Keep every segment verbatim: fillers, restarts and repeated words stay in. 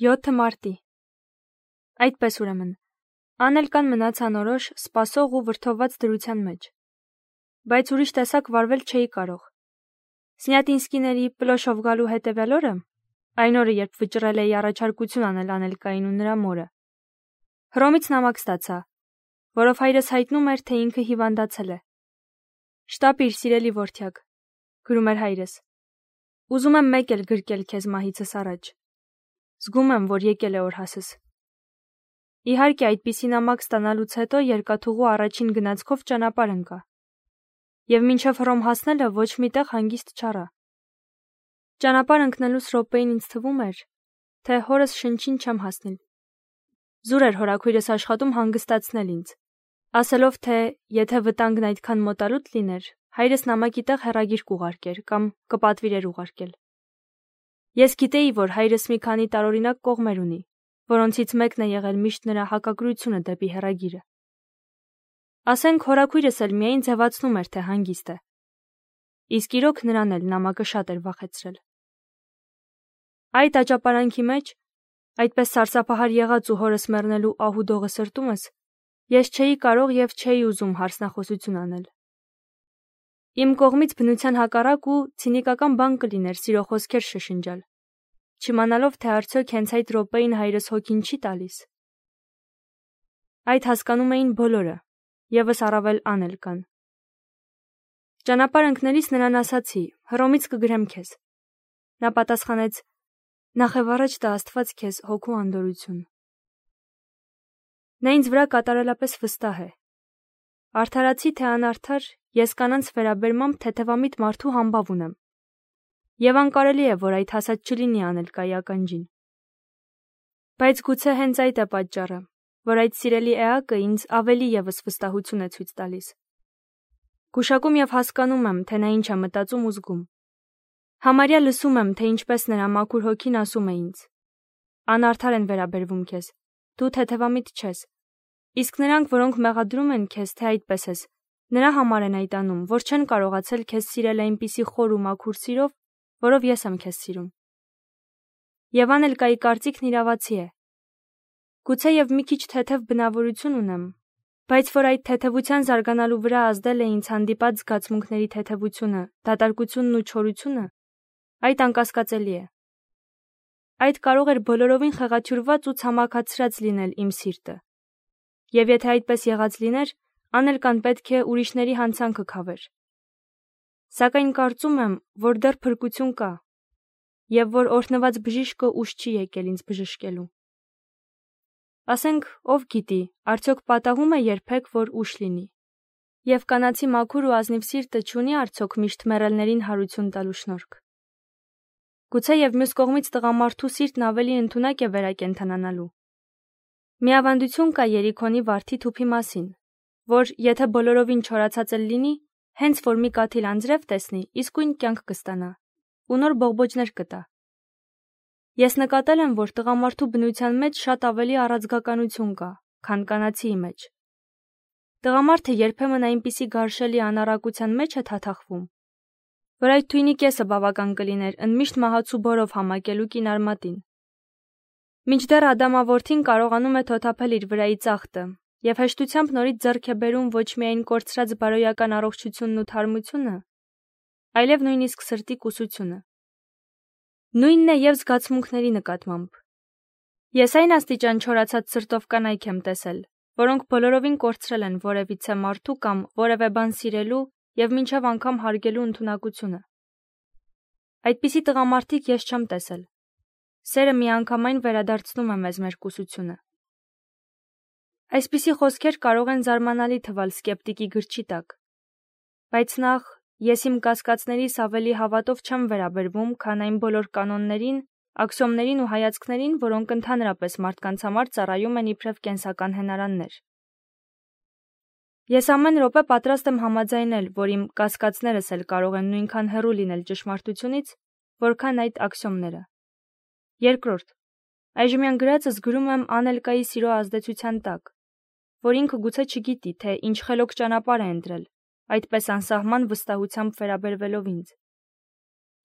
յոթ մարտի։ Այդպես ուրեմն, Անելկան մնաց անորոշ, սպասող ու վրդովված դրության մեջ։ Բայց ուրիշ տեսակ վարվել չէի կարող։ Սնյատինսկիների պլոշով գալու հետևյալ օրը, այն օրը, երբ վճռել էի առաջարկություն անել Անելկային ու նրա մորը, Հռոմից նամակ ստացա, որով հայրս հայտնում էր, թե ինքը հիվանդացել է։ Շտապիր, սիրելի որդյակ, գրում էր հայրս։ Ուզում եմ մեկ էլ գրկել քեզ մահիցս առաջ։ Զգում եմ, որ եկել է օրհասս։ Իհարկե, այդպիսի նամակ ստանալուց հետո երկաթուղու առաջին գնացքով ճանապարհ ընկա։ Եվ մինչև Հռոմ հասնելը ոչ միտեղ հանգիստ չառա։ Ճանապարհ ընկնելուց րոպեին ինձ թվում էր, թե հորս շնչին չեմ հասնել։ Զուր էր հորաքույրս աշխատում հանգստացնել ինձ, ասելով, թե եթե վտանգն այդքան մոտալուտ լիներ, հայրս նամակի տեղ հեռագիր կուղարկեր կամ կպատվիրեր ուղարկել։ Ես գիտեի, որ հայրս մի քանի տարօրինակ կողմեր ունի, որոնցից մեկն է եղել միշտ նրա հակակրությունը դեպի հեռագիրը։ Ասենք հորաքույրս էլ միայն ձևացնում էր, թե հանգիստ է։ Իսկ իրոք նրան էլ նամակը շատ էր վախեցրել։ Այդ աճապարանքի մեջ, այդպես սարսափահար եղած ու հորս մեռնելու ահուդողը սրտումս, ես չէի կարող եւ չէի ուզում հարցնախոսություն անել։ Իմ կողմից բնության հակառակ ու ցինիկական բան կլիներ սիրո խոսքեր շշնջալ, չիմանալով, թե արդյոք հենց այդ րոպեին հայրս հոգին չի տալիս։ Այդ հասկանում էին բոլորը, եւս առավել Անելկան։ Ճանապարհ ընկնելիս նրան ասացի. Հռոմից կգրեմ քեզ։ Նա պատասխանեց. Նախև առաջ տա Աստված քեզ հոգու անդորություն։ Նա ինձ վրա կատարելապես վստահ է։ Արդարացի թե անարդար, ես կանանց վերաբերմամբ թեթևամիտ մարդու համբավ ունեմ։ Եվ անկարելի է, որ այդ հասած չլինի Անելկայի ականջին։ Բայց գուցե հենց այդ է պատճառը, որ այդ սիրելի էակը ինձ ավելի եւս վստահություն է ցույց տալիս։ Գուշակում եւ հասկանում եմ, թե նա ինչ է մտածում ու զգում։ Համարյա լսում եմ, թե ինչպես նրա մաքուր հոգին ասում է ինձ. Անարդար են վերաբերվում քեզ, դու թեթևամիտ չես։ Իսկ նրանք, որոնք մեղադրում են քեզ, թե այդպես ես, նրա համար են այդ անում, որ չեն կարողացել քեզ սիրել այնպիսի խոր ու մաքուր սիրով, որով ես եմ քեզ սիրում։ Եվ Անելկայի կարծիքն իրավացի է։ Գուցե եւ մի քիչ թեթև բնավորություն ունեմ, բայց որ այդ թեթևության զարգանալու վրա ազդել է ինձ հանդիպած զգացմունքների թեթևությունը, դատարկությունն ու չորությունը, այդ անկասկածելի է։ Այդ կարող էր բոլորովին խեղաթյուրված ու ցամաքացրած լինել իմ սիրտը։ Եվ եթե այդպես եղած լիներ, Անելկան պետք է ուրիշների հանցանքը քավեր։ Սակայն կարծում եմ, որ դեռ փրկություն կա, եւ որ օրհնված բժիշկը ուշ չի եկել ինձ բժշկելու։ Ասենք, ով գիտի, արդյոք պատահում է երբեք, որ ուշ լինի։ Եվ կանացի մաքուր ու ազնիվ սիրտը չունի արդյոք միշտ մեռելներին հարություն տալու շնորհք։ Գուցե եւ մյուս կողմից տղամարդու սիրտն ավելի ընդունակ է վերակենդանանալու։ Մի ավանդություն կա Երիքոնի վարդի թուփի մասին, որ եթե բոլորովին չորացած էլ լինի, հենց որ մի կաթիլ անձրև տեսնի, իսկույն կյանք կստանա ու նոր բողբոջներ կտա։ Ես նկատել եմ, որ տղամարդու բնության մեջ շատ ավելի առաձգականություն կա, քան կանացիի մեջ։ Տղամարդը երբեմն այնպիսի գարշելի անառակության մեջ է թաթախվում, որ այդ թույնի կեսը բավական կլիներ ընդմիշտ մահացու բորով համակելու կինարմատին։ Մինչդեռ Ադամավորթին կարողանում է թոթափել իր վրայի ծախտը եւ հեշտությամբ նորից ձեռք է բերում ոչ միայն կորցրած բարոյական առողջությունն ու թարմությունը, այլև նույնիսկ սրտի կուսությունը։ Նույնն է եւ զգացմունքների նկատմամբ։ Ես այն աստիճան չորացած սրտով կանայք եմ տեսել, որոնք բոլորովին կորցրել են որևիցե մարդու կամ որևէ բան սիրելու եւ մինչեւ անգամ հարգելու ընդունակությունը։ Այդպիսի տղամարդիկ ես չեմ տեսել։ Սերը միանգամայն վերադարձնում է մեզ մեր կուսությունը։ Այսպիսի խոսքեր կարող են զարմանալի թվալ սկեպտիկի գրչի տակ, բայց նախ ես իմ կասկածներիս ավելի հավատով չեմ վերաբերվում, քան այն բոլոր կանոններին, աքսիոմներին ու հայացքներին, որոնք ընդհանրապես մարդկանց համար ծառայում են իբրև կենսական հենարաններ։ Ես ամեն րոպե պատրաստ եմ համաձայնել, որ իմ կասկածներս էլ կարող են նույնքան հեռու լինել ճշմարտությունից, որքան այդ աքսիոմները։ Երկրորդ, այժմյան գրածս գրում եմ Անելկայի սիրո ազդեցության տակ, որ ինքը գուցե չգիտի, թե ինչ խելոք ճանապարհ է ընտրել, այդպես անսահման վստահությամբ վերաբերվելով ինձ,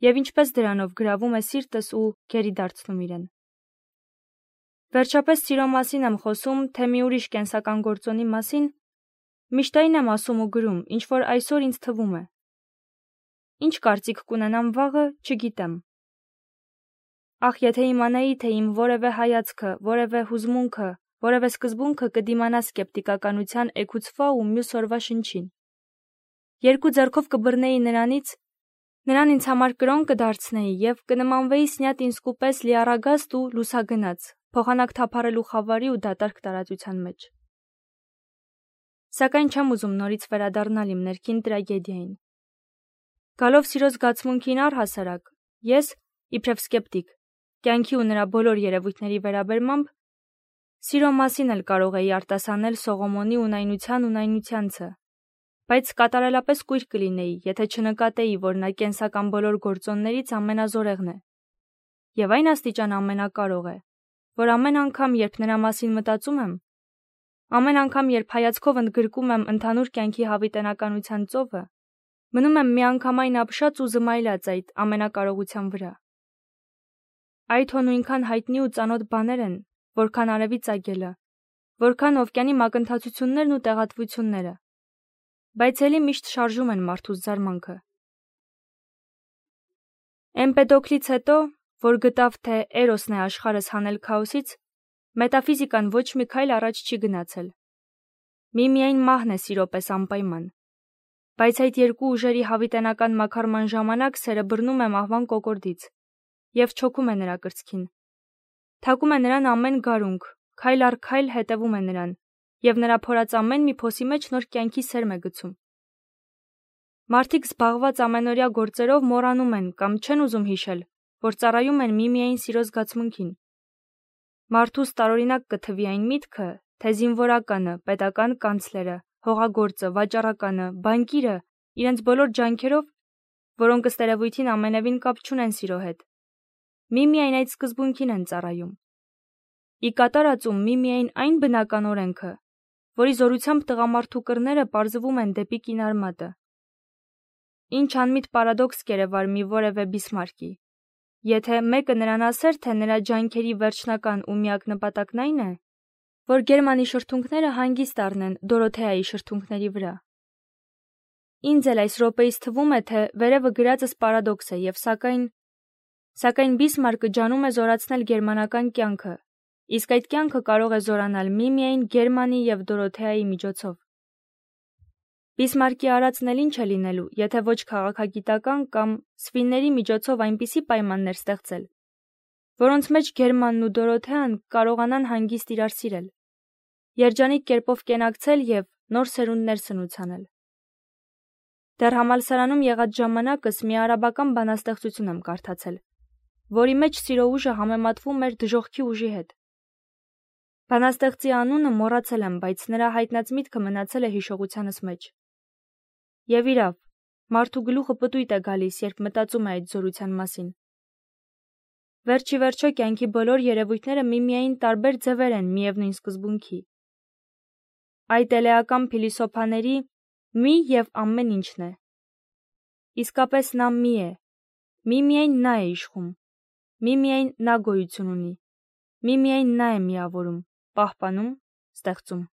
եւ ինչպես դրանով գրավում է սիրտս ու գերի դարձնում իրեն։ Վերջապես սիրո մասին եմ խոսում, թե մի ուրիշ կենսական գործոնի մասին, միշտ այն եմ ասում ու գրում, ինչ որ այսօր ինձ թվում է։ Ինչ կարծիք կունենամ վաղը, չգիտեմ։ Ախ, եթե իմանայի, թե իմ որևէ հայացքը, որևէ հուզմունքը, որևէ սկզբունքը կդիմանա սկեպտիկականության էգուցվա ու մյուս օրվա շնչին։ Երկու ձեռքով կբռնեի նրանից, նրան ինձ համար կրոն կդարձնեի և կնմանվեի Սնյատինսկու պես լիառագաստ ու լուսագնաց, փոխանակ թափառելու խավարի ու դատարկ տարածության մեջ։ Սակայն չեմ ուզում նորից վերադառնալ իմ ներքին տրագեդիային։ Գալով սիրո զգացմունքին առհասարակ, ես, իբրև սկեպտիկ, կյանքի ու նրա բոլոր երևույթների վերաբերմամբ, սիրո մասին էլ կարող էի արտասանել Սողոմոնի ունայնության ունայնությանցը, բայց կատարելապես կույր կլինեի, եթե չնկատեի, որ նա կենսական բոլոր գործոններից ամենազորեղն է, և այն աստիճան ամենակարող է, որ ամեն անգամ, երբ նրա մասին մտածում եմ, ամեն անգամ, երբ հայացքով ընդգրկում եմ ընդհանուր կյանքի հավիտենականության ծովը, մնում եմ միանգամայն ապշած ու զմայլած այդ ամենակարողության վրա։ Այդ հո նույնքան հայտնի ու ծանոթ բաներ են, որքան արևի ծագելը, որքան օվկիանի մակընթացություններն ու տեղատվությունները, բայց էլի միշտ շարժում են մարդուս զարմանքը։ Էմպեդոկլից հետո, որ գտավ, թե Էրոսն է աշխարհս հանել քաոսից, մետաֆիզիկան ոչ մի քայլ առաջ չի գնացել։ Միմիայն մահն է սիրո պես անպայման։ Բայց այդ երկու ուժերի հավիտենական մաքարման ժամանակ սերը բռնում է մահվան կոկորդից և չոքում է նրա կրծքին։ Թակում է նրան ամեն գարունք, քայլ առ քայլ հետևում է նրան, և նրա փորած ամեն մի փոսի մեջ նոր կյանքի սերմ է գցում։ Մարդիկ զբաղված ամենօրյա գործերով մոռանում են կամ չեն ուզում հիշել, որ ծառայում են միմիայն սիրո զգացմունքին։ Մարդուս տարօրինակ կթվի այն միտքը, թե զինվորականը, պետական կանցլերը, հողագործը, վաճառականը, բանկիրը իրենց բոլոր ջանքերով, որոնք ըստ երևույթին ամենևին կապ չունեն սիրո հետ, միմիայն այդ սկզբունքին են ծառայում։ Ի կատարածում միմիայն այն բնական օրենքը, որի զորությամբ տղամարդու կռները պարզվում են դեպի կինարմատը։ Ինչ անմիտ պարադոքս կերևար մի որևէ Բիսմարկի, եթե մեկը նրան ասեր, թե նրա ջանքերի վերջնական ու միակ նպատակն այն է, որ Գերմանի շրթունքները հանգիստ առնեն Դորոթեայի շրթունքների վրա։ Ինձ էլ այս րոպեից թվում է, թե վերևը գրածս պարադոքս է և սակայն սակայն Բիսմարկը ջանում է զորացնել գերմանական կյանքը, իսկ այդ կյանքը կարող է զորանալ միմիայն Գերմանի և Դորոթեայի միջոցով։ Բիսմարկի արածն էլ ինչ է լինելու, եթե ոչ քաղաքագիտական կամ սվինների միջոցով այնպիսի պայմաններ ստեղծել, որոնց մեջ Գերմանն ու Դորոթեան կարողանան հանգիստ իրար սիրել, երջանիկ կերպով կենակցել և նոր սերունդներ սնուցանել։ Դեռ համալսարանում եղած ժամանակս մի արաբական բանաստեղծություն եմ կարդացել, որի մեջ սիրո ուժը համեմատվում էր դժոխքի ուժի հետ։ Բանաստեղծի անունը մոռացել եմ, բայց նրա հայտնած միտքը մնացել է հիշողությանս մեջ։ Եվ իրավ, մարդու գլուխը պտույտ է գալիս, երբ մտածում է այդ զորության մասին։ Վերջի վերջո կյանքի բոլոր երևույթները միմիայն տարբեր ձևեր են միևնույն սկզբունքի։ Այդ էլեական փիլիսոփաների մի և ամեն ինչն է։ Իսկապես նա մի է, միմիայն նա է իշխում, միմիայն նա գոյություն ունի, միմիայն նա է միավորում, պահպանում, ստեղծում։